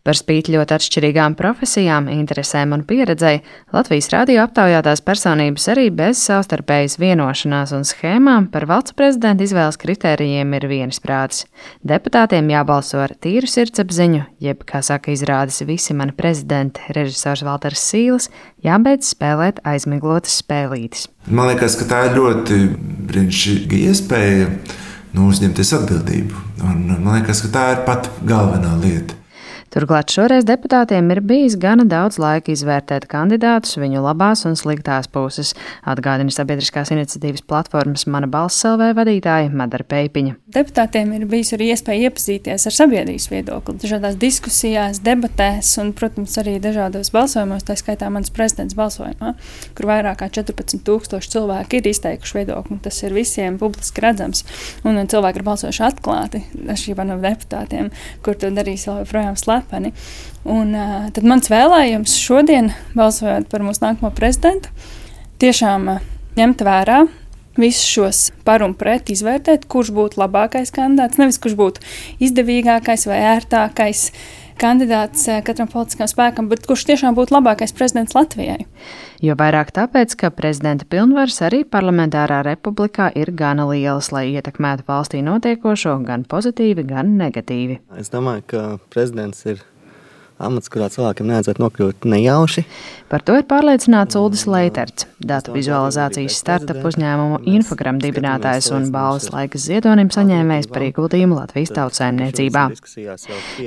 Par spīti ļoti atšķirīgām profesijām, interesēm un pieredzei, Latvijas radio aptaujātās personības arī bez savstarpējas vienošanās un schēmām par valsts prezidenta izvēles kritērijiem ir vienisprātis. Deputātiem jābalso ar tīru sirdsapziņu, jeb, kā saka izrādes Visi mani prezidenti, režisors Valters Sīles, jābeidz spēlēt aizmiglotas spēlītes. Man liekas, ka tā ir ļoti brīnišķīga iespēja uzņemties atbildību. Un man liekas, ka tā ir pat galvenā lieta. Turklāt šoreiz deputātiem ir bijis gana daudz laika izvērtēt kandidātus, viņu labās un sliktās puses, atgādina sabiedriskās iniciatīvas platformas Mana balss LV vadītāja Madara Peipiņa. Deputātiem ir bijis arī iespēja iepazīties ar sabiedrības viedokli, dažādās diskusijās, debatēs un, protams, arī dažādos balsojumos, tā skaitā mans prezidents balsojumā, kur vairāk kā 14,000 cilvēki ir izteikuši viedokli. Tas ir visiem publiski redzams, un cilvēki ir balsojuši atklāti, atšķirībā no deputātiem, kur to darīs vēl joprojām slepeni. Un tad mans vēlējums šodien, balsojot par mūsu nākamo prezidentu, tiešām ņemt vērā visus šos par un pret, izvērtēt, kurš būtu labākais kandidāts, nevis kurš būtu izdevīgākais vai ērtākais kandidāts katram politiskam spēkam, bet kurš tiešām būtu labākais prezidents Latvijai. Jo vairāk tāpēc, ka prezidenta pilnvaras arī parlamentārā republikā ir gana lielas, lai ietekmētu valstī notiekošo gan pozitīvi, gan negatīvi. Es domāju, ka prezidents ir amats, kurā cilvēkiem nevajadzētu nokļūt nejauši. Par to ir pārliecināts Uldis Leiterts, datu vizualizācijas startup uzņēmumu Infogram dibinātājs un balvas Laikas ziedonim saņēmējs par ieguldījumu Latvijas tautsaimniecībā.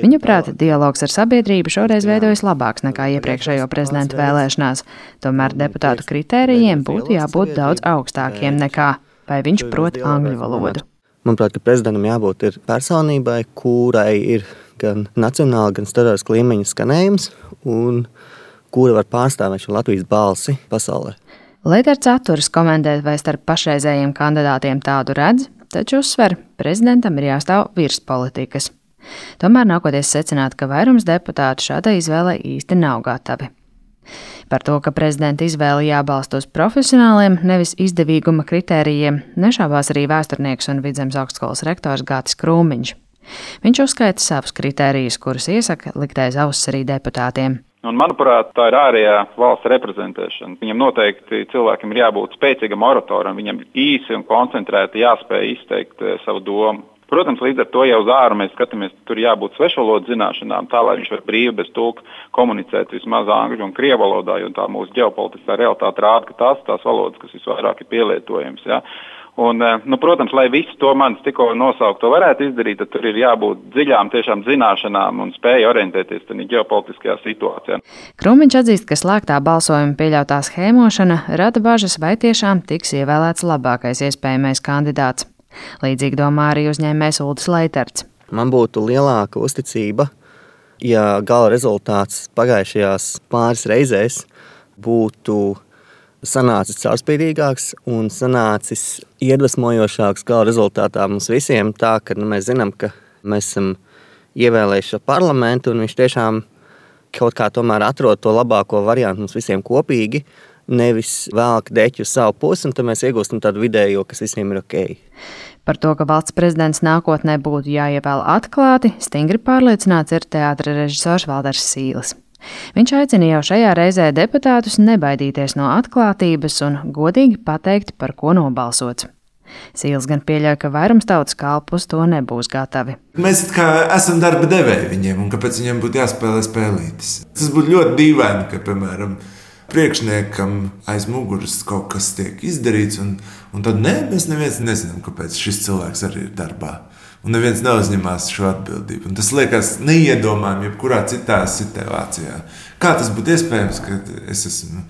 Viņuprāt, dialogs ar sabiedrību šoreiz veidojas labāks nekā iepriekšējo prezidentu vēlēšanās, tomēr deputātu kritērijiem būtu jābūt daudz augstākiem nekā, vai viņš prot angļu valodu. Manuprāt, ka prezidentam jābūt ir personībai, kurai ir gan nacionāli, gan starptautiskā līmeņa skanējums, un kura var pārstāvēt šo Latvijas balsi pasaulē. Leiterts atturas komentēt, vai starp pašreizējiem kandidātiem tādu redz, taču uzsver, prezidentam ir jāstāv virs politikas. Tomēr nākoties secināt, ka vairums deputātu šādai izvēlei īsti nav gatavi. Par to, ka prezidenta izvēle jābalsta uz profesionāliem, nevis izdevīguma kritērijiem, nešābās arī vēsturnieks un Vidzemes augstskolas rektors Gatis Krūmiņš. Viņš uzskaita savus kritērijus, kurus iesaka likt aiz auss arī deputātiem. Un, manuprāt, tā ir ārējā valsts reprezentēšana. Viņam noteikti cilvēkam ir jābūt spēcīgam oratoram, viņam īsi un koncentrēti jāspēj izteikt savu domu. Protams, līdz ar to jau uz āru mēs skatāmies, tur jābūt svešvalodu zināšanām, tā, lai viņš var brīvi bez tulka komunicēt vismaz angļu un krievu valodā, jo tā mūsu ģeopolitiskā realitāte rāda, ka tās valodas, kas visvairāk ir pielietojams. Ja? Un, protams, lai visu to manis tikko nosaukto varētu izdarīt, tad tur ir jābūt dziļām tiešām zināšanām un spēja orientēties tādā ģeopolitiskajā situācijā. Krūmiņš atzīst, ka slēgtā balsojuma pieļautā schēmošana rada bažas, vai tiešām tiks ievēlēts labākais iespējamais kandidāts. Līdzīgi domā arī uzņēmējs Uldis Leiterts. Man būtu lielāka uzticība, ja gala rezultāts pagājušajās pāris reizēs būtu sanācis caurspīdīgāks un sanācis iedvesmojošāks gala rezultātā mums visiem, tā, ka mēs zinām, ka mēs esam ievēlējuši šo parlamentu un viņš tiešām kaut kā tomēr atrod to labāko variantu mums visiem kopīgi, nevis velk deķu uz savu pusi, un tad mēs iegūstam tādu vidējo, kas visiem ir ok. Par to, ka valsts prezidents nākotnē būtu jāievēl atklāti, stingri pārliecināts ir teātra režisors Valters Sīles. Viņš aicina jau šajā reizē deputātus nebaidīties no atklātības un godīgi pateikt, par ko nobalsots. Sīles gan pieļauj, ka vairums tautas kalpu uz to nebūs gatavi. Mēs kā esam darba devēji viņiem, un kāpēc viņiem būtu jāspēlē spēlītes. Tas būtu ļoti dīvaini, ka, piemēram, priekšniekam aiz muguras kaut kas tiek izdarīts, un tad mēs neviens nezinām, kāpēc šis cilvēks arī ir darbā. Un neviens neuzņemās šo atbildību. Un tas liekas neiedomājami jebkurā citā situācijā. Kā tas būtu iespējams, ka es esmu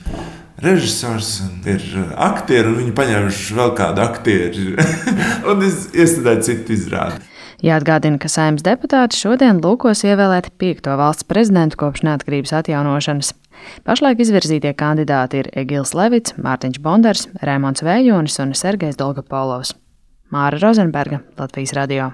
režisors un ir aktieri, un viņi paņēmuši vēl kādu aktieri, un es iestudēju citu izrādi. Jāatgādina, ka Saeimas deputāti šodien lūkos ievēlēt 5. valsts prezidentu kopš neatkarības atjaunošanas. Pašlaik izvirzītie kandidāti ir Egils Levits, Mārtiņš Bondars, Raimonds Vējonis un Sergejs Dolgopolovs. Māra Rozenberga, Latvijas radio.